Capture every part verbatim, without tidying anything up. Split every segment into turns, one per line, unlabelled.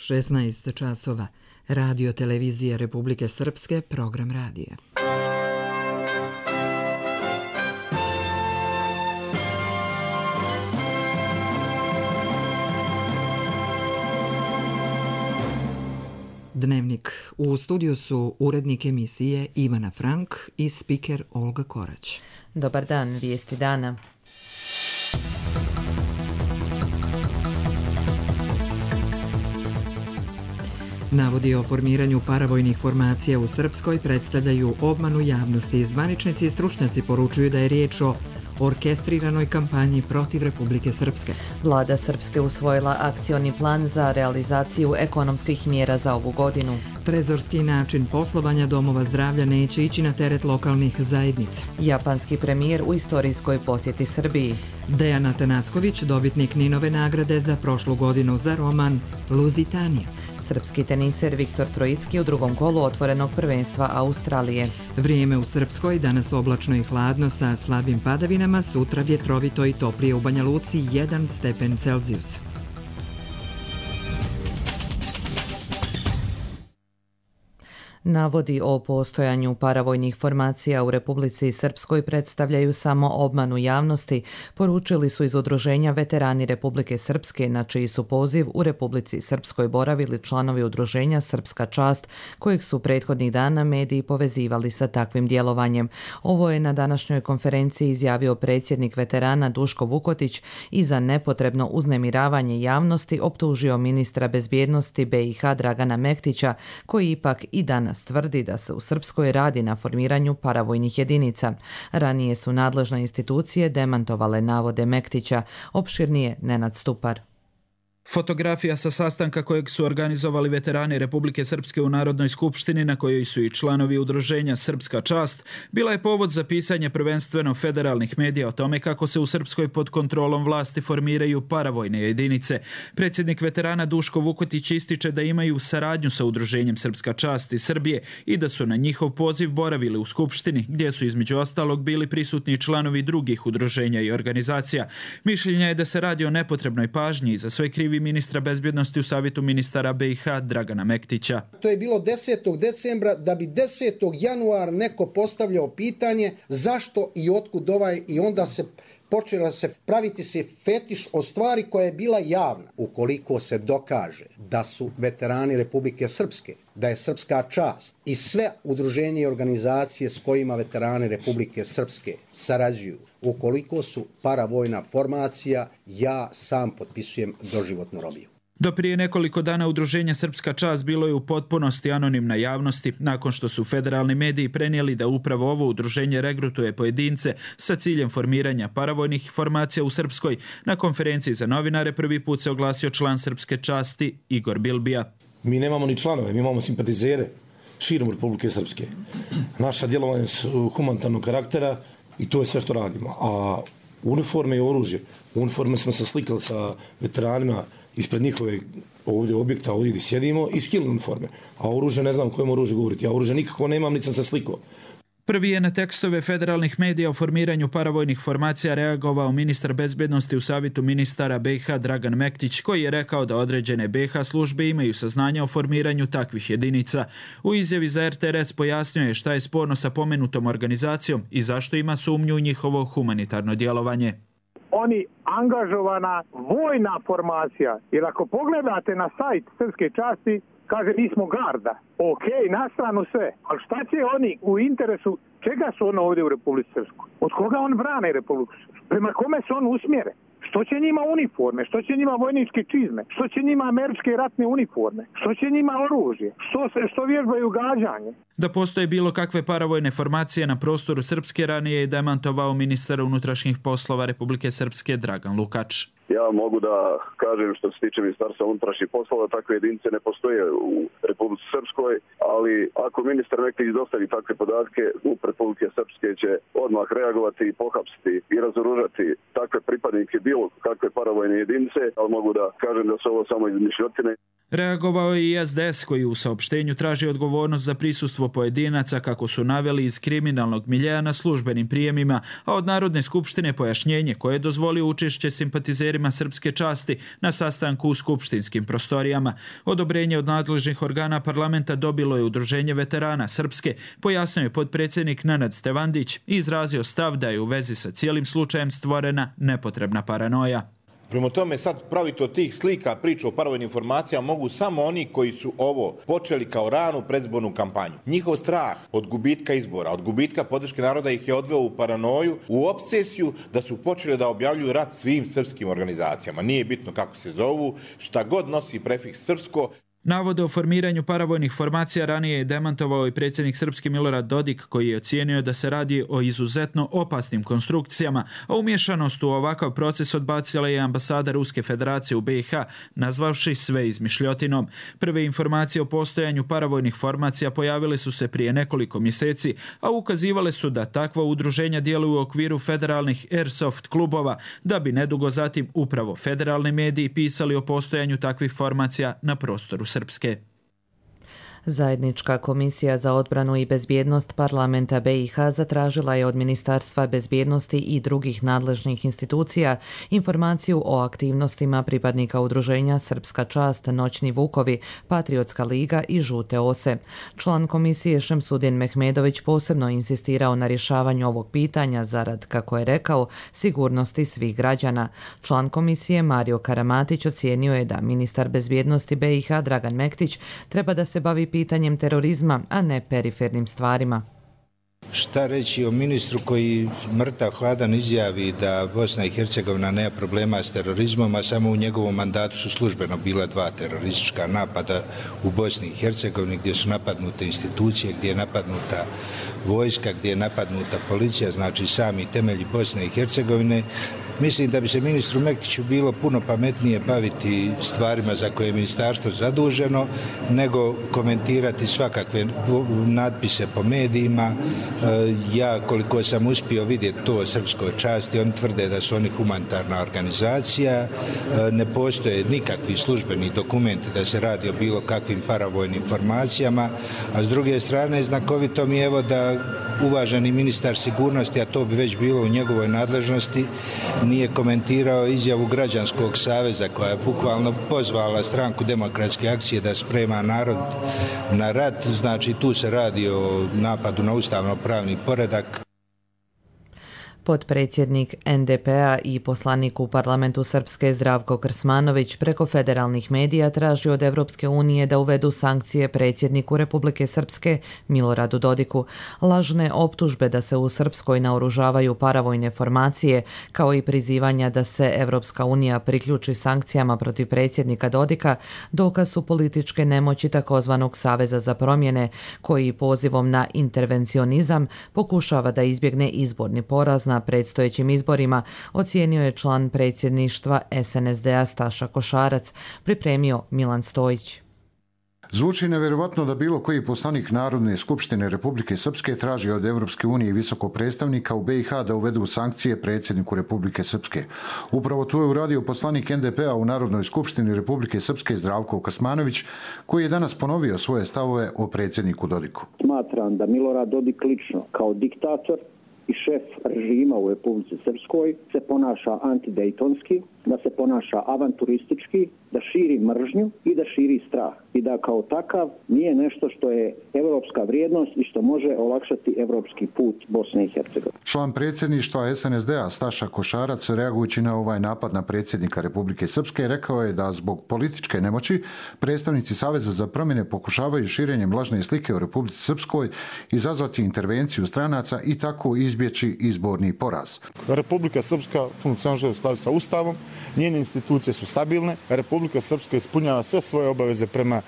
šesnaest časova. Radio televizije Republike Srpske, program radija. Dnevnik. U studiju su urednik emisije Ivana Frank i spiker Olga Korać.
Dobar dan, vijesti dana.
Navodi o formiranju paravojnih formacija u Srpskoj predstavljaju obmanu javnosti. Zvaničnici i stručnjaci poručuju da je riječ o orkestriranoj kampanji protiv Republike Srpske.
Vlada Srpske usvojila akcioni plan za realizaciju ekonomskih mjera za ovu godinu.
Trezorski način poslovanja domova zdravlja neće ići na teret lokalnih zajednica.
Japanski premijer u istorijskoj posjeti Srbiji.
Dejan Atanacković, dobitnik Ninove nagrade za prošlu godinu za roman Luzitanija.
Srpski teniser Viktor Trojicki u drugom kolu otvorenog prvenstva Australije.
Vrijeme u Srpskoj, danas oblačno i hladno sa slabim padavinama, sutra vjetrovito i toplije u Banja Luci jedan stepen Celzijusa.
Navodi o postojanju paravojnih formacija u Republici Srpskoj predstavljaju samo obmanu javnosti, poručili su iz udruženja Veterani Republike Srpske, na čiji su poziv u Republici Srpskoj boravili članovi udruženja Srpska čast, kojeg su prethodnih dana mediji povezivali sa takvim djelovanjem. Ovo je na današnjoj konferenciji izjavio predsjednik veterana Duško Vukotić i za nepotrebno uznemiravanje javnosti optužio ministra bezbjednosti B i H Dragana Mektića, koji ipak i danas tvrdi da se u Srpskoj radi na formiranju paravojnih jedinica. Ranije su nadležne institucije demantovale navode Mektića, opširnije Nenad Stupar.
Fotografija sa sastanka kojeg su organizovali veterani Republike Srpske u Narodnoj skupštini, na kojoj su i članovi udruženja Srpska čast, bila je povod za pisanje prvenstveno federalnih medija o tome kako se u Srpskoj pod kontrolom vlasti formiraju paravojne jedinice. Predsjednik veterana Duško Vukotić ističe da imaju saradnju sa udruženjem Srpska čast iz Srbije i da su na njihov poziv boravili u skupštini, gdje su između ostalog bili prisutni članovi drugih udruženja i organizacija. Mišljenja je da se radi o nepotrebnoj pažnji i za sve krivi ministra bezbjednosti u savjetu ministara B i H Dragana Mektića.
To je bilo desetog decembra, da bi desetog januara neko postavljao pitanje zašto i otkud ovaj, i onda se počela se praviti se fetiš o stvari koja je bila javna. Ukoliko se dokaže da su veterani Republike Srpske, da je Srpska čast i sve udruženje i organizacije s kojima veterani Republike Srpske sarađuju, ukoliko su paravojna formacija, ja sam potpisujem doživotnu robiju.
Do prije nekoliko dana udruženje Srpska čast bilo je u potpunosti anonimna javnosti, nakon što su federalni mediji prenijeli da upravo ovo udruženje regrutuje pojedince sa ciljem formiranja paravojnih formacija u Srpskoj. Na konferenciji za novinare prvi put se oglasio član Srpske časti Igor Bilbija.
Mi nemamo ni članove, mi imamo simpatizere širom Republike Srpske. Naša djelovanja su humanitarnog karaktera i to je sve što radimo. A uniforme i oružje, uniforme smo se slikali sa veteranima ispred njihove ovdje objekta, ovdje gdje sjedimo, i skili uniforme. A oružje, ne znam o kojem oružju govoriti. Ja oružje nikako nemam, niti sam se slikao.
Prvi je na tekstove federalnih medija o formiranju paravojnih formacija reagovao ministar bezbjednosti u savjetu ministara B i H Dragan Mektić, koji je rekao da određene B i H službe imaju saznanja o formiranju takvih jedinica. U izjavi za R T R S pojasnio je šta je sporno sa pomenutom organizacijom i zašto ima sumnju u njihovo humanitarno djelovanje.
Oni angažovana vojna formacija, jer ako pogledate na sajt Srpske časti, kaže mi smo garda. Ok, na stranu sve. Ali šta će oni u interesu, čega su ono ovdje u Republici Srpskoj? Od koga on brane Republiku Srpsku? Prema kome su on usmjere? Što će njima uniforme? Što će njima vojničke čizme? Što će njima američke ratne uniforme? Što će njima oružje? Što, što vježbaju gađanje?
Da postoje bilo kakve paravojne formacije na prostoru Srpske ranije je demantovao ministar unutrašnjih poslova Republike Srpske Dragan Lukač.
Ja mogu da kažem što se tiče Ministarstva unutrašnjih poslova, takve jedinice ne postoje u Republici Srpskoj, ali ako ministar Mektić dostavi takve podatke, MUP Republike Srpske će odmah reagovati i pohapsiti i razoružati takve pripadnike bilo kakve paravojne jedinice, ali mogu da kažem da su ovo samo izmišljotine.
Reagovao je i S D S koji u saopštenju traži odgovornost za prisustvo pojedinaca, kako su naveli, iz kriminalnog miljeja na službenim prijemima, a od Narodne skupštine pojašnjenje koje je dozvolio učešće simpatizerima srpske časti na sastanku u skupštinskim prostorijama. Odobrenje od nadležnih organa parlamenta dobilo je Udruženje veterana Srpske, pojasnio je potpredsjednik Nenad Stevandić i izrazio stav da je u vezi sa cijelim slučajem stvorena nepotrebna paranoja.
Prema tome sad praviti od tih slika priču o paravojnim informacijama mogu samo oni koji su ovo počeli kao ranu predizbornu kampanju. Njihov strah od gubitka izbora, od gubitka podrške naroda ih je odveo u paranoju, u obsesiju da su počeli da objavljuju rat svim srpskim organizacijama. Nije bitno kako se zovu, šta god nosi prefiks srpsko.
Navode o formiranju paravojnih formacija ranije je demantovao i predsjednik Srpske Milorad Dodik, koji je ocijenio da se radi o izuzetno opasnim konstrukcijama, a umješanost u ovakav proces odbacila je ambasada Ruske federacije u B i H, nazvavši sve izmišljotinom. Prve informacije o postojanju paravojnih formacija pojavile su se prije nekoliko mjeseci, a ukazivale su da takva udruženja djeluju u okviru federalnih airsoft klubova, da bi nedugo zatim upravo federalni mediji pisali o postojanju takvih formacija na prostoru Srpske.
Zajednička komisija za odbranu i bezbjednost parlamenta B i H zatražila je od Ministarstva bezbjednosti i drugih nadležnih institucija informaciju o aktivnostima pripadnika udruženja Srpska čast, Noćni vukovi, Patriotska liga i Žute ose. Član komisije Šemsudin Mehmedović posebno insistirao na rješavanju ovog pitanja zarad, kako je rekao, sigurnosti svih građana. Član komisije Mario Karamatić ocijenio je da ministar bezbjednosti B i H Dragan Mektić treba da se bavi pitanjem terorizma, a ne perifernim stvarima.
Šta reći o ministru koji mrtav hladan izjavi da Bosna i Hercegovina nema problema s terorizmom, a samo u njegovom mandatu su službeno bila dva teroristička napada u Bosni i Hercegovini, gdje su napadnute institucije, gdje je napadnuta vojska, gdje je napadnuta policija, znači sami temelji Bosne i Hercegovine. Mislim da bi se ministru Mektiću bilo puno pametnije baviti stvarima za koje je ministarstvo zaduženo, nego komentirati svakakve natpise po medijima. Ja, koliko sam uspio vidjeti to o Srpskoj časti, oni tvrde da su oni humanitarna organizacija, ne postoje nikakvi službeni dokumenti da se radi o bilo kakvim paravojnim formacijama, a s druge strane znakovito mi je evo da uvaženi ministar sigurnosti, a to bi već bilo u njegovoj nadležnosti, nije komentirao izjavu Građanskog saveza koja je bukvalno pozvala stranku Demokratske akcije da sprema narod na rat. Znači tu se radi o napadu na ustavno-pravni poredak.
Potpredsjednik N D P-a i poslanik u parlamentu Srpske Zdravko Krsmanović preko federalnih medija traži od Evropske unije da uvedu sankcije predsjedniku Republike Srpske Miloradu Dodiku. Lažne optužbe da se u Srpskoj naoružavaju paravojne formacije, kao i prizivanja da se Evropska unija priključi sankcijama protiv predsjednika Dodika, dokaz su političke nemoći takozvanog Saveza za promjene, koji pozivom na intervencionizam pokušava da izbjegne izborni poraz na predstojećim izborima, ocijenio je član predsjedništva S N S D-a Staša Košarac, pripremio Milan Stojić.
Zvuči nevjerovatno da bilo koji poslanik Narodne skupštine Republike Srpske traži od Evropske unije i visokog predstavnika u B i H da uvedu sankcije predsjedniku Republike Srpske. Upravo to je uradio poslanik N D P-a u Narodnoj skupštini Republike Srpske Zdravko Krsmanović, koji je danas ponovio svoje stavove o predsjedniku Dodiku.
Smatram da Milorad Dodik lično kao diktator i šef režima u Republici Srpskoj se ponaša antidejtonski, da se ponaša avanturistički, da širi mržnju i da širi strah. I da kao takav nije nešto što je evropska vrijednost i što može olakšati evropski put Bosne i Hercegovine.
Član predsjedništva S N S D-a Staša Košarac, reagujući na ovaj napad na predsjednika Republike Srpske, rekao je da zbog političke nemoći predstavnici Saveza za promjene pokušavaju širenjem lažne slike o Republici Srpskoj izazvati intervenciju stranaca i tako izbjeći izborni poraz.
Republika Srpska funkcioniše u skladu sa Ustavom, njene institucije su stabilne, Republika Srpska ispunjava sve svoje obaveze prema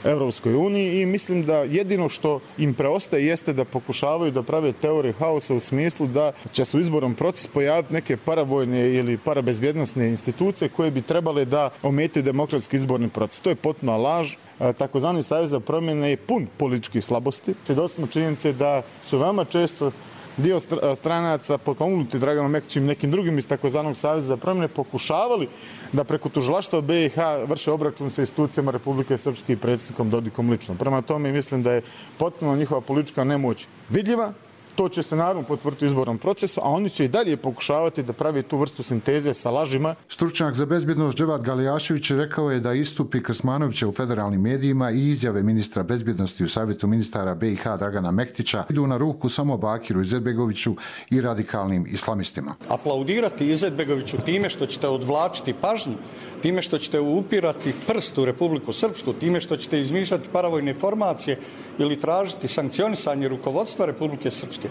Evropskoj uniji i mislim da jedino što im preostaje jeste da pokušavaju da prave teoriju haosa u smislu da će se u izbornom procesu pojaviti neke paravojne ili parabezbjednosne institucije koje bi trebale da ometaju demokratski izborni proces. To je potpuna laž. Takozvani Savez za promjene je pun političkih slabosti. Svjedoci smo činjenice da su veoma često dio stranaca potpomognuti Draganom Mektićem i nekim drugim iz takozvanog Saveza za promjene pokušavali da preko tužilaštva B i H vrše obračun sa institucijama Republike Srpske i predsjednikom Dodikom lično. Prema tome mislim da je potpuno njihova politička nemoć vidljiva, To će se naravno potvrditi u izbornom procesu, a oni će i dalje pokušavati da pravi tu vrstu sinteze sa lažima.
Stručnjak za bezbjednost Dževad Galijašević rekao je da istupi Krsmanovića u federalnim medijima i izjave ministra bezbjednosti u Savjetu ministara B i H Dragana Mektića idu na ruku samo Bakiru Izetbegoviću i radikalnim islamistima.
Aplaudirati Izetbegoviću time što ćete odvlačiti pažnju, time što ćete upirati prst u Republiku Srpsku, time što ćete izmišljati paravojne formacije ili tražiti sankcionisanje rukovodstva Republike Srpske.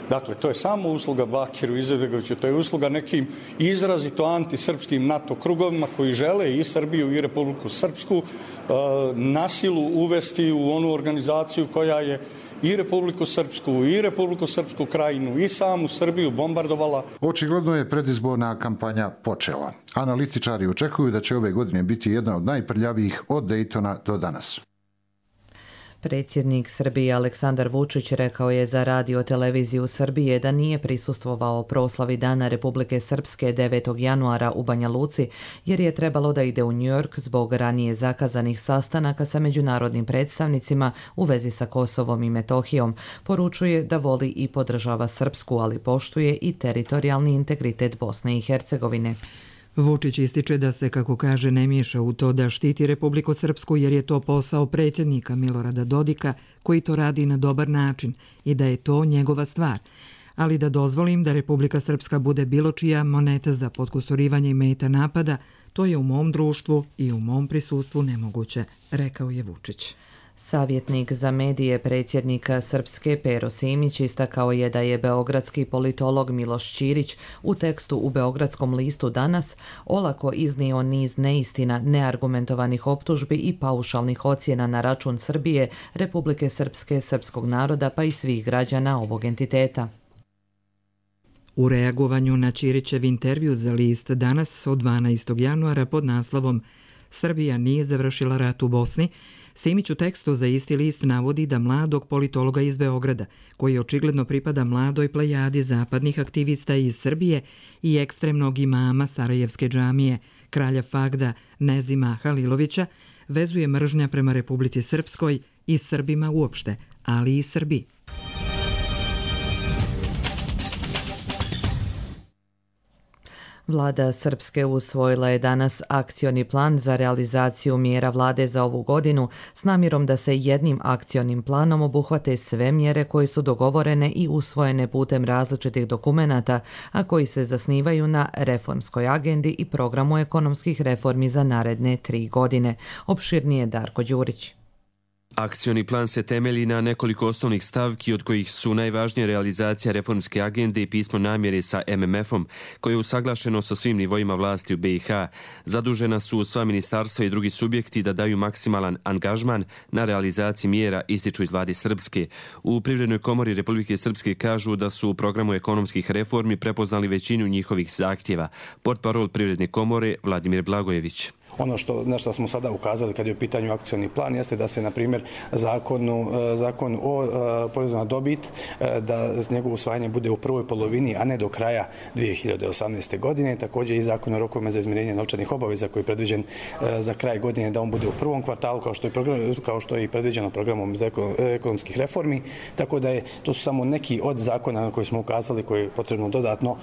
Dakle, to je samo usluga Bakiru Izetbegoviću, to je usluga nekim izrazito antisrpskim NATO krugovima koji žele i Srbiju i Republiku Srpsku na silu uvesti u onu organizaciju koja je i Republiku Srpsku, i Republiku Srpsku krajinu, i samu Srbiju bombardovala.
Očigledno je predizborna kampanja počela. Analitičari očekuju da će ove godine biti jedna od najprljavijih od Daytona do danas.
Predsjednik Srbije Aleksandar Vučić rekao je za radio televiziju Srbije da nije prisustvovao proslavi Dana Republike Srpske devetog januara u Banja Luci, jer je trebalo da ide u New York zbog ranije zakazanih sastanaka sa međunarodnim predstavnicima u vezi sa Kosovom i Metohijom. Poručuje da voli i podržava Srpsku, ali poštuje i teritorijalni integritet Bosne i Hercegovine.
Vučić ističe da se, kako kaže, ne miješa u to da štiti Republiku Srpsku jer je to posao predsjednika Milorada Dodika koji to radi na dobar način i da je to njegova stvar. Ali da dozvolim da Republika Srpska bude bilo čija moneta za potkusurivanje i meta napada, to je u mom društvu i u mom prisustvu nemoguće, rekao je Vučić.
Savjetnik za medije predsjednika Srpske Pero Simić istakao je da je beogradski politolog Miloš Ćirić u tekstu u Beogradskom listu Danas olako iznio niz neistina, neargumentovanih optužbi i paušalnih ocjena na račun Srbije, Republike Srpske, srpskog naroda pa i svih građana ovog entiteta.
U reagovanju na Ćirićev intervju za list Danas od dvanaestog januara pod naslovom Srbija nije završila rat u Bosni, Simić u tekstu za isti list navodi da mladog politologa iz Beograda, koji očigledno pripada mladoj plejadi zapadnih aktivista iz Srbije i ekstremnog imama Sarajevske džamije, kralja Fagda Nezima Halilovića, vezuje mržnja prema Republici Srpskoj i Srbima uopšte, ali i Srbiji.
Vlada Srpske usvojila je danas akcioni plan za realizaciju mjera vlade za ovu godinu s namjerom da se jednim akcionim planom obuhvate sve mjere koje su dogovorene i usvojene putem različitih dokumenata, a koji se zasnivaju na reformskoj agendi i programu ekonomskih reformi za naredne tri godine. Opširnije Darko Đurić.
Akcioni plan se temelji na nekoliko osnovnih stavki od kojih su najvažnije realizacija reformske agende i pismo namjere sa M M F-om, koje je usaglašeno sa svim nivoima vlasti u B i H. Zadužena su sva ministarstva i drugi subjekti da daju maksimalan angažman na realizaciji mjera, ističu iz vlade Srpske. U Privrednoj komori Republike Srpske kažu da su u programu ekonomskih reformi prepoznali većinu njihovih zahtjeva. Portparol Privredne komore Vladimir Blagojević.
Ono što, na što smo sada ukazali kad je u pitanju akcioni plan jeste da se, na primjer, zakonu, zakon o porezu na dobit, da njegovo usvajanje bude u prvoj polovini, a ne do kraja dvije hiljade osamnaeste. godine. Također i zakon o rokovima za izmirenje novčanih obaveza koji je predviđen za kraj godine, da on bude u prvom kvartalu, kao što je, program, kao što je i predviđeno programom za ekonomskih reformi. Tako da je, to su samo neki od zakona na koji smo ukazali koji je potrebno dodatno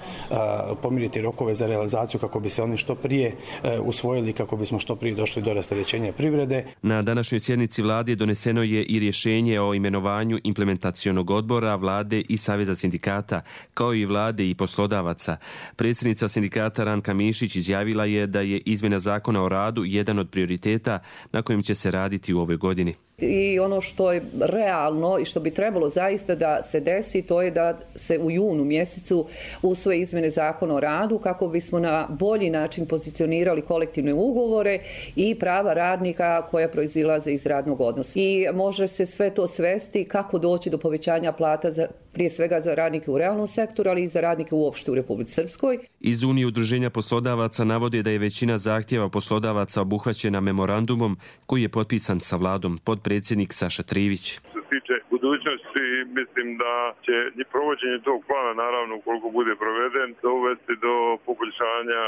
pomiriti rokove za realizaciju kako bi se oni što prije usvojili, kako bi bismo što prije došli do rasterećenja privrede.
Na današnjoj sjednici vlade doneseno je i rješenje o imenovanju implementacionog odbora vlade i Saveza sindikata, kao i vlade i poslodavaca. Predsjednica sindikata Ranka Mišić izjavila je da je izmjena zakona o radu jedan od prioriteta na kojem će se raditi u ovoj godini.
I ono što je realno i što bi trebalo zaista da se desi, to je da se u junu mjesecu usvoje izmjene zakona o radu kako bismo na bolji način pozicionirali kolektivne ugovore i prava radnika koja proizilaze iz radnog odnosa. I može se sve to svesti kako doći do povećanja plata za, prije svega za radnike u realnom sektoru, ali i za radnike uopšte u Republici Srpskoj.
Iz Unije udruženja poslodavaca navode da je većina zahtjeva poslodavaca obuhvaćena memorandumom koji je potpisan sa vladom. Podpredsjednik Saša Trivić.
Što se tiče budućnosti. Mislim da će provođenje tog plana, naravno ukoliko bude proveden, dovesti do poboljšanja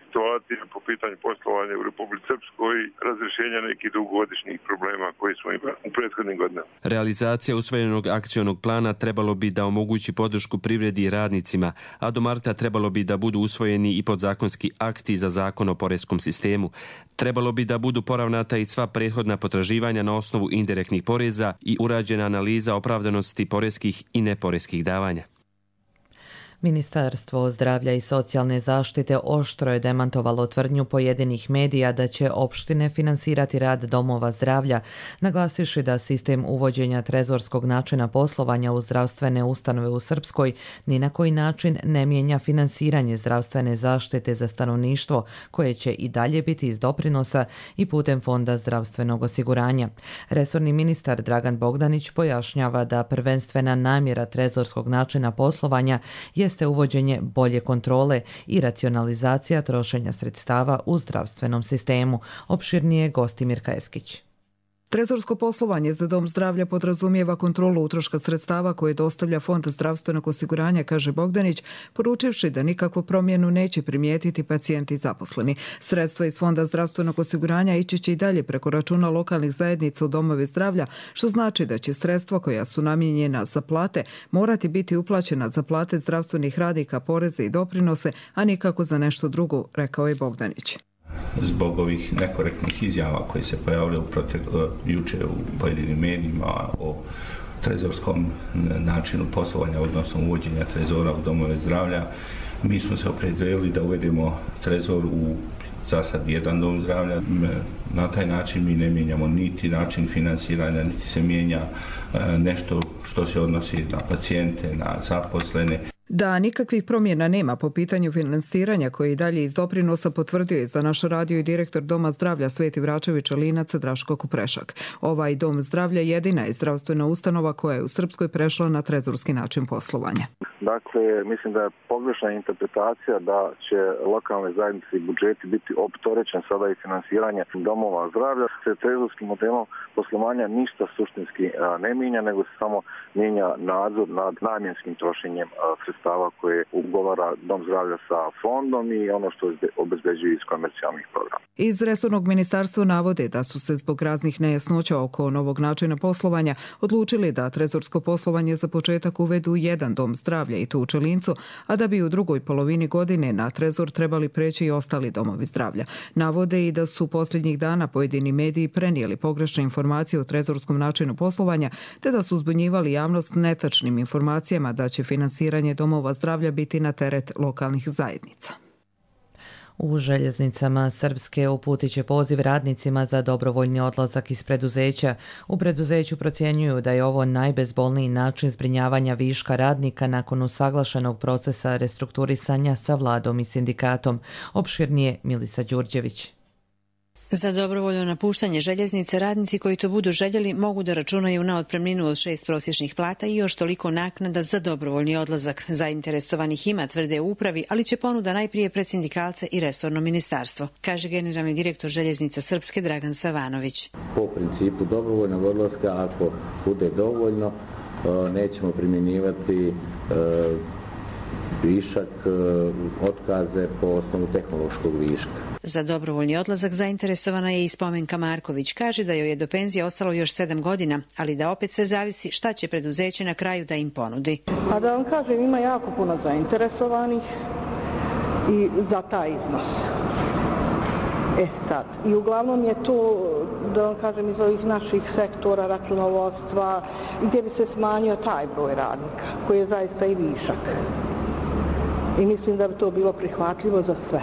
situacije po pitanju poslovanja u Republici Srpskoj i razrješenja nekih dugogodišnjih problema koji smo imali u prethodnim godinama.
Realizacija usvojenog akcionog plana trebalo bi da omogući podršku privredi i radnicima, a do marta trebalo bi da budu usvojeni i podzakonski akti za zakon o poreskom sistemu. Trebalo bi da budu poravnata i sva prethodna potraživanja na osnovu indirektnih poreza i urađena analiza opravdanosti poreskih i neporeskih davanja.
Ministarstvo zdravlja i socijalne zaštite oštro je demantovalo tvrdnju pojedinih medija da će opštine finansirati rad domova zdravlja, naglasivši da sistem uvođenja trezorskog načina poslovanja u zdravstvene ustanove u Srpskoj ni na koji način ne mijenja finansiranje zdravstvene zaštite za stanovništvo, koje će i dalje biti iz doprinosa i putem Fonda zdravstvenog osiguranja. Resorni ministar Dragan Bogdanić pojašnjava da prvenstvena namjera trezorskog načina poslovanja je jeste uvođenje bolje kontrole i racionalizacija trošenja sredstava u zdravstvenom sistemu. Opširnije Gostimir Kajeskić.
Trezorsko poslovanje za dom zdravlja podrazumijeva kontrolu utroška sredstava koje dostavlja Fond zdravstvenog osiguranja, kaže Bogdanić, poručivši da nikakvu promjenu neće primijetiti pacijenti i zaposleni. Sredstva iz Fonda zdravstvenog osiguranja ići će i dalje preko računa lokalnih zajednica u domove zdravlja, što znači da će sredstva koja su namijenjena za plate morati biti uplaćena za plate zdravstvenih radnika, poreze i doprinose, a nikako za nešto drugo, rekao je Bogdanić.
Zbog ovih nekorektnih izjava koje se pojavljaju protek, juče u pojedinim medijima o trezorskom načinu poslovanja, odnosno uvođenja trezora u domove zdravlja, mi smo se opredijelili da uvedemo trezor u za sad jedan dom zdravlja. Na taj način mi ne mijenjamo niti način finansiranja, niti se mijenja nešto što se odnosi na pacijente, na zaposlene.
Da nikakvih promjena nema po pitanju finansiranja koje i dalje iz doprinosa, potvrdio je za naš radio i direktor Doma zdravlja Sveti Vračević Alinac Draško Kuprešak. Ovaj dom zdravlja jedina je zdravstvena ustanova koja je u Srpskoj prešla na trezorski način poslovanja.
Dakle, mislim da je pogrešna interpretacija da će lokalne zajednice i budžeti biti optorećen sada i finansiranje domova zdravlja. Se trezorskim modelom poslovanja ništa suštinski ne mijenja, nego se samo mijenja nadzor nad namjenskim trošenjem sredstava koje ugovara dom zdravlja sa fondom i ono što obezbeđuje iz komercijalnih programa.
Iz resornog ministarstva navode da su se zbog raznih nejasnoća oko novog načina poslovanja odlučili da trezorsko poslovanje za početak uvedu jedan dom zdravlja i to u Čelincu, a da bi u drugoj polovini godine na trezor trebali preći i ostali domovi zdravlja. Navode i da su posljednjih dana pojedini mediji prenijeli pogrešne informacije o trezorskom načinu poslovanja, te da su zbunjivali javnost netačnim informacijama da će finansiranje domova zdravlja biti na teret lokalnih zajednica.
U željeznicama Srpske uputit će poziv radnicima za dobrovoljni odlazak iz preduzeća. U preduzeću procjenjuju da je ovo najbezbolniji način zbrinjavanja viška radnika nakon usaglašenog procesa restrukturisanja sa vladom i sindikatom. Opširnije Milica Đurđević.
Za dobrovoljno napuštanje željeznice radnici koji to budu željeli mogu da računaju na otpremninu od šest prosječnih plata i još toliko naknada za dobrovoljni odlazak. Zainteresovanih ima, tvrde u upravi, ali će ponuda najprije pred sindikalce i resorno ministarstvo, kaže generalni direktor Željeznica Srpske Dragan Savanović.
Po principu dobrovoljnog odlaska, ako bude dovoljno, nećemo primjenjivati višak, otkaze po osnovu tehnološkog viška.
Za dobrovoljni odlazak zainteresovana je i Spomenka Marković. Kaže da joj je do penzije ostalo još sedam godina, ali da opet sve zavisi šta će preduzeće na kraju da im ponudi.
A da vam kažem, ima jako puno zainteresovanih i za taj iznos. E sad, i uglavnom je to, da vam kažem, iz ovih naših sektora računovodstva, gdje bi se smanjio taj broj radnika, koji je zaista i višak. I mislim da bi to bilo prihvatljivo za sve.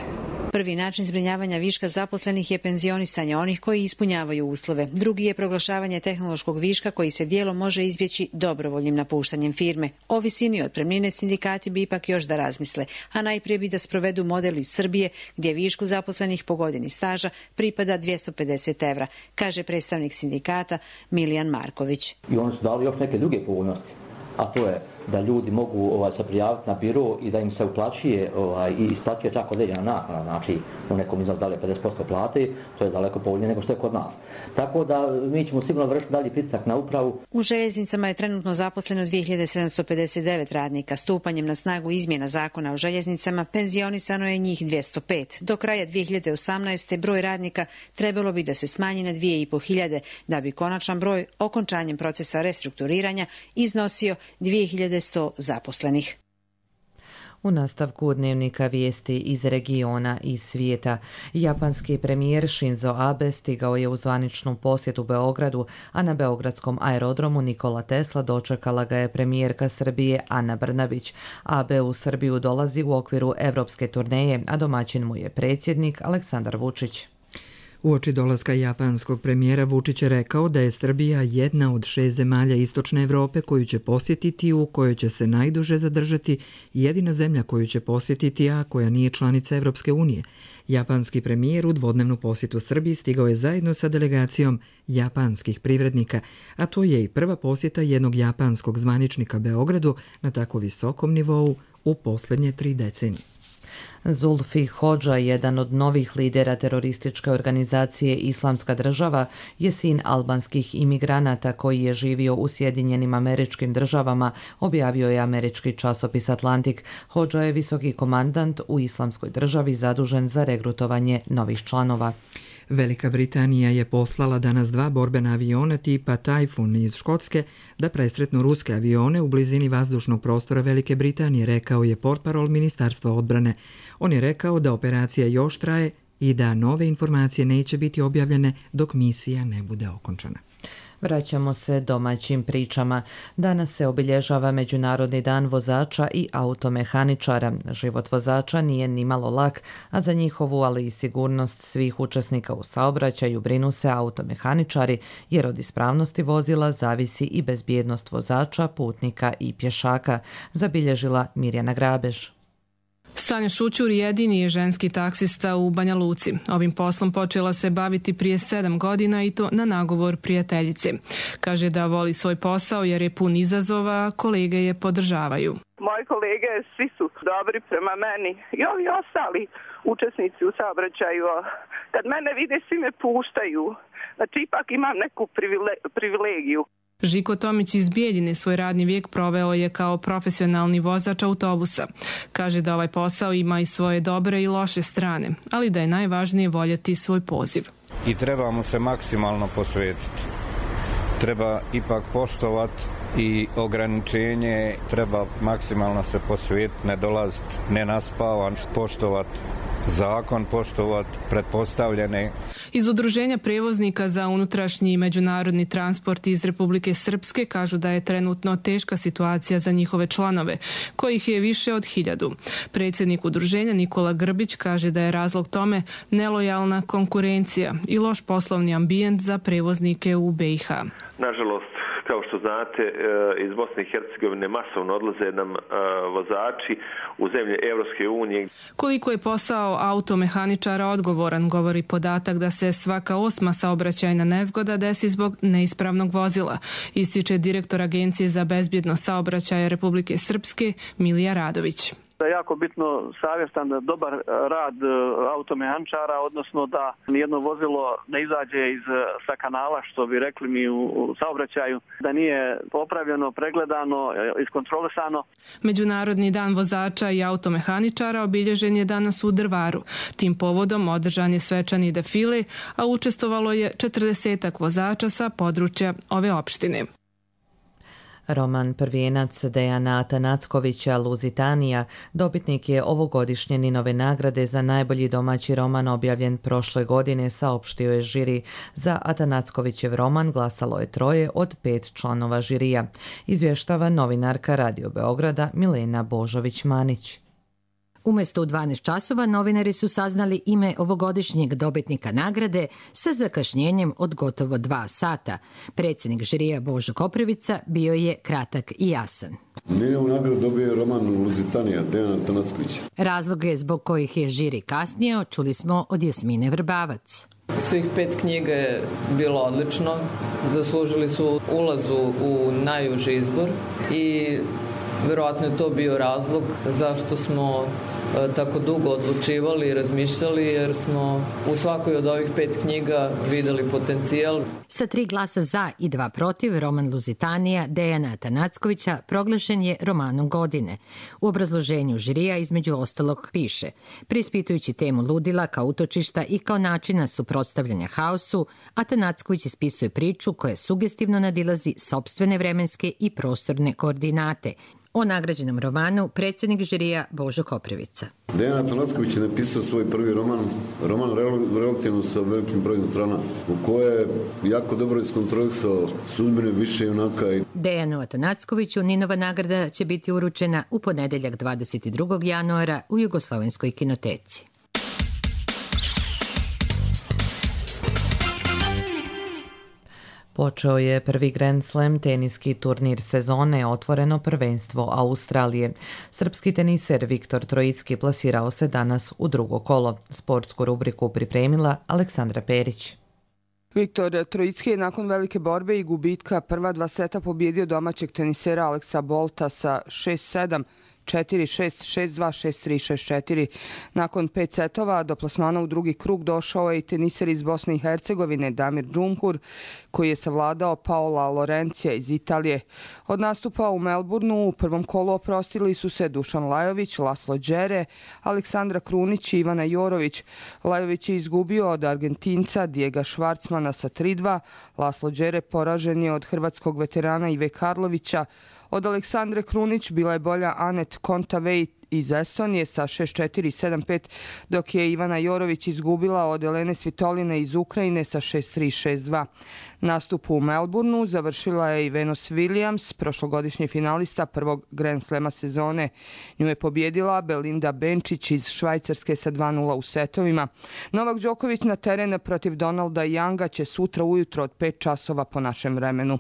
Prvi način zbrinjavanja viška zaposlenih je penzionisanje onih koji ispunjavaju uslove. Drugi je proglašavanje tehnološkog viška koji se dijelom može izbjeći dobrovoljnim napuštanjem firme. O visini otpremnine sindikati bi ipak još da razmisle, a najprije bi da sprovedu model iz Srbije gdje višku zaposlenih po godini staža pripada dvjesto pedeset evra, kaže predstavnik sindikata Milijan Marković.
I oni su dali još neke druge povoljnosti, a to je
da ljudi mogu ovaj, se prijaviti na biro i da im se uplaćuje ovaj, i isplaćuje čak određena naknada, znači u nekom iznosu da li pedeset posto plate, to je daleko povoljnije nego što je kod nas. Tako da mi ćemo sigurno vršiti dalji pritisak na upravu.
U željeznicama je trenutno zaposleno dvije hiljade sedamsto pedeset devet radnika. Stupanjem na snagu izmjena zakona o željeznicama penzionisano je njih dvjesto pet. Do kraja dvije hiljade osamnaeste. broj radnika trebalo bi da se smanji na dvije i po hiljade, da bi konačan broj okončanjem procesa restrukturiranja iznosio dvije hiljade sto zaposlenih.
U nastavku dnevnika vijesti iz regiona i svijeta. Japanski premijer Shinzo Abe stigao je u zvaničnu posjetu Beogradu, a na beogradskom aerodromu Nikola Tesla dočekala ga je premijerka Srbije Ana Brnabić. Abe u Srbiju dolazi u okviru evropske turneje, a domaćin mu je predsjednik Aleksandar Vučić.
Uoči dolaska japanskog premijera Vučić je rekao da je Srbija jedna od šest zemalja Istočne Evrope koju će posjetiti, u kojoj će se najduže zadržati, jedina zemlja koju će posjetiti, a koja nije članica Evropske unije. Japanski premijer u dvodnevnu posjetu Srbiji stigao je zajedno sa delegacijom japanskih privrednika, a to je i prva posjeta jednog japanskog zvaničnika Beogradu na tako visokom nivou u posljednje tri decenije.
Zulfi Hodža, jedan od novih lidera terorističke organizacije Islamska država, je sin albanskih imigranata koji je živio u Sjedinjenim Američkim Državama, objavio je američki časopis Atlantik. Hodža je visoki komandant u Islamskoj državi zadužen za regrutovanje novih članova.
Velika Britanija je poslala danas dva borbena aviona tipa Tajfun iz Škotske da presretnu ruske avione u blizini vazdušnog prostora Velike Britanije, rekao je portparol Ministarstva odbrane. On je rekao da operacija još traje i da nove informacije neće biti objavljene dok misija ne bude okončana.
Vraćamo se domaćim pričama. Danas se obilježava Međunarodni dan vozača i automehaničara. Život vozača nije nimalo lak, a za njihovu, ali i sigurnost svih učesnika u saobraćaju brinu se automehaničari, jer od ispravnosti vozila zavisi i bezbjednost vozača, putnika i pješaka, zabilježila Mirjana Grabež.
Sanja Šućur jedini je ženski taksista u Banja Luci. Ovim poslom počela se baviti prije sedam godina i to na nagovor prijateljice. Kaže da voli svoj posao jer je pun izazova, a kolege je podržavaju.
Moji kolege svi su dobri prema meni i ovi ostali učesnici u saobraćaju. Kad mene vide, svi me puštaju. Znači ipak imam neku privilegiju.
Žiko Tomić iz Bijeljine svoj radni vijek proveo je kao profesionalni vozač autobusa. Kaže da ovaj posao ima i svoje dobre i loše strane, ali da je najvažnije voljeti svoj poziv.
I trebamo se maksimalno posvetiti. Treba ipak poštovati i ograničenje, treba maksimalno se posvetiti, ne dolaziti nenaspavan, poštovati zakon, poštovati pretpostavljene.
Iz Udruženja prevoznika za unutrašnji i međunarodni transport iz Republike Srpske kažu da je trenutno teška situacija za njihove članove, kojih je više od hiljadu. Predsjednik udruženja Nikola Grbić kaže da je razlog tome nelojalna konkurencija i loš poslovni ambijent za prevoznike u be i ha.
Nažalost, kao što znate, iz Bosne i Hercegovine masovno odlaze nam vozači u zemlje Evropske unije.
Koliko je posao automehaničara odgovoran, govori podatak da se svaka osma saobraćajna nezgoda desi zbog neispravnog vozila, ističe direktor Agencije za bezbjednost saobraćaja Republike Srpske Milija Radović.
Da je jako bitno savjestan dobar rad automehaničara, odnosno da nijedno vozilo ne izađe iz sa kanala, što bi rekli mi u saobraćaju, da nije popravljeno, pregledano, iskontrolisano.
Međunarodni dan vozača i automehaničara obilježen je danas u Drvaru. Tim povodom održan je svečani defile, a učestvovalo je četrdesetak vozača sa područja ove opštine.
Roman prvijenac Dejana Atanackovića Luzitanija dobitnik je ovogodišnje Ninove nagrade za najbolji domaći roman objavljen prošle godine, saopštio je žiri. Za Atanackovićev roman glasalo je troje od pet članova žirija. Izvještava novinarka Radio Beograda Milena Božović-Manić.
Umjesto u dvanaest časova novinari su saznali ime ovogodišnjeg dobitnika nagrade sa zakašnjenjem od gotovo dva sata. Predsjednik žirija Božo Koprivica bio je kratak i jasan.
Ninovu nagradu dobio roman Luzitanija Dejana Atanackovića.
Razloge zbog kojih je žiri kasnio čuli smo od Jasmine Vrbavac.
Svih pet knjiga je bilo odlično. Zaslužili su ulazu u najuži izbor i verovatno je to bio razlog zašto smo tako dugo odlučivali i razmišljali, jer smo u svakoj od ovih pet knjiga videli potencijal.
Sa tri glasa za i dva protiv, roman Luzitanija Dejana Atanackovića proglašen je romanom godine. U obrazloženju žirija između ostalog piše: preispitujući temu ludila kao utočišta i kao načina suprotstavljanja haosu, Atanacković ispisuje priču koja sugestivno nadilazi sopstvene vremenske i prostorne koordinate. O nagrađenom romanu predsjednik žirija Božo Koprivica.
Dejan Atanacković je napisao svoj prvi roman, roman relativno sa velikim brojem strana, u koje je jako dobro iskontrolisao sudbine više junaka.
Dejanu Atanackoviću Ninova nagrada će biti uručena u ponedeljak dvadeset drugog januara u Jugoslovenskoj kinoteci.
Počeo je prvi Grand Slam teniski turnir sezone, otvoreno prvenstvo Australije. Srpski teniser Viktor Trojicki plasirao se danas u drugo kolo. Sportsku rubriku pripremila Aleksandra Perić.
Viktor Trojicki je nakon velike borbe i gubitka prva dva seta pobjedio domaćeg tenisera Aleksa Bolta sa šest sedam, četiri šest, šest dva, šest tri, šest četiri. Nakon pet setova do plasmana u drugi krug došao je i teniser iz Bosne i Hercegovine Damir Džumhur, koji je savladao Paola Lorencija iz Italije. Od nastupa u Melbourneu u prvom kolu oprostili su se Dušan Lajović, Laslo Đere, Aleksandra Krunić i Ivana Jorović. Lajović je izgubio od Argentinca Dijega Švarcmana sa tri dva, Laslo Đere poražen je od hrvatskog veterana Ive Karlovića. Od Aleksandre Krunić bila je bolja Anet Kontaveit iz Estonije sa šest četiri, sedam pet, dok je Ivana Jorović izgubila od Elene Svitoline iz Ukrajine sa šest tri, šest dva. Nastup u Melbourneu završila je i Venus Williams, prošlogodišnji finalista prvog Grand Slema sezone. Nju je pobjedila Belinda Benčić iz Švajcarske sa dva nula u setovima. Novak Đoković na teren protiv Donalda Younga će sutra ujutro od pet časova po našem vremenu.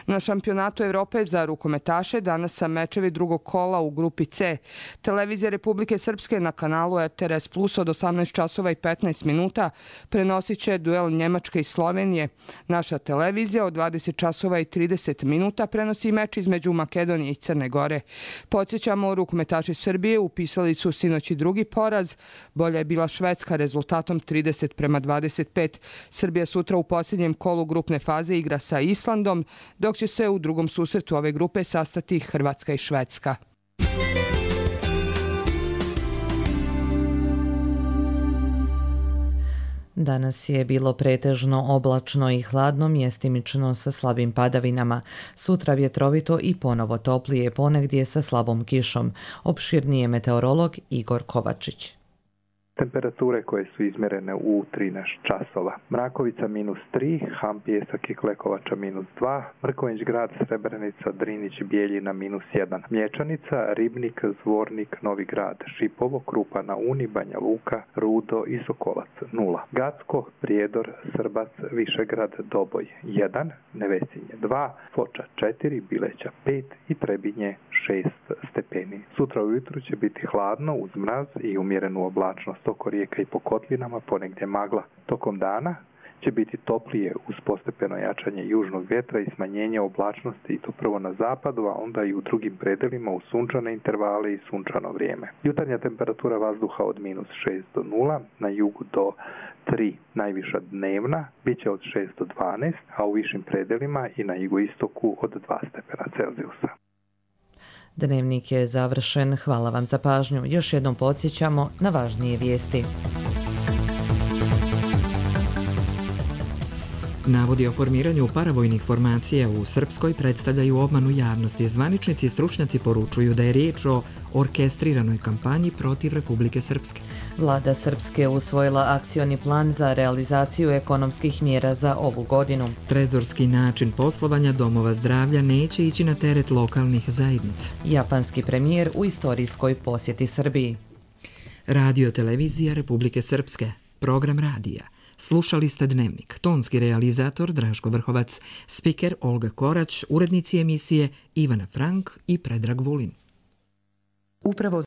Na šampionatu Evrope za rukometaše danas sa mečevi drugog kola u grupi C. Televizija Republike Srpske na kanalu R T R S Plus od osamnaest časova i petnaest minuta prenosit će duel Njemačke i Slovenije. Naša televizija od dvadeset časova i trideset minuta prenosi meč između Makedonije i Crne Gore. Podsjećamo, rukometaši Srbije upisali su sinoć i drugi poraz. Bolja je bila Švedska rezultatom trideset prema dvadeset pet. Srbija sutra u posljednjem kolu grupne faze igra sa Islandom, dok će se u drugom susretu ove grupe sastati Hrvatska i Švedska.
Danas je bilo pretežno oblačno i hladno, mjestimično sa slabim padavinama. Sutra vjetrovito i ponovo toplije, ponegdje sa slabom kišom. Opširnije meteorolog Igor Kovačić.
Temperature koje su izmjerene u trinaest časova. Mrakovica minus tri, Ham, Pijesak i Klekovača minus dva, Mrkonjić grad, Srebrenica, Drinić, Bijeljina minus jedan, Mlječanica, Ribnik, Zvornik, Novi grad, Šipovo, Krupa na Uni, Banja Luka, Rudo i Sokolac nula, Gacko, Prijedor, Srbac, Višegrad, Doboj jedan, Nevesinje dva, Foča četiri, Bileća pet i Trebinje šest stepeni. Sutra ujutru će biti hladno uz mraz i umjerenu oblačnost oko rijeka i po kotlinama, ponegdje magla. Tokom dana će biti toplije uz postepeno jačanje južnog vjetra i smanjenje oblačnosti, i to prvo na zapadu, a onda i u drugim predelima u sunčane intervale i sunčano vrijeme. Jutarnja temperatura vazduha od minus šest do nula, na jugu do tri, najviša dnevna, bit će od šest do dvanaest, a u višim predelima i na jugoistoku od dva stepena Celzijusa.
Dnevnik je završen. Hvala vam za pažnju. Još jednom podsjećamo na važnije vijesti.
Navodi o formiranju paravojnih formacija u Srpskoj predstavljaju obmanu javnosti. Zvaničnici i stručnjaci poručuju da je riječ o orkestriranoj kampanji protiv Republike Srpske.
Vlada Srpske usvojila akcioni plan za realizaciju ekonomskih mjera za ovu godinu.
Trezorski način poslovanja domova zdravlja neće ići na teret lokalnih zajednica.
Japanski premijer u istorijskoj posjeti Srbiji.
Radio televizija Republike Srpske. Program radija. Slušali ste Dnevnik. Tonski realizator Dražko Vrhovac, spiker Olga Korać, urednici emisije Ivana Frank i Predrag Vulin.
Upravo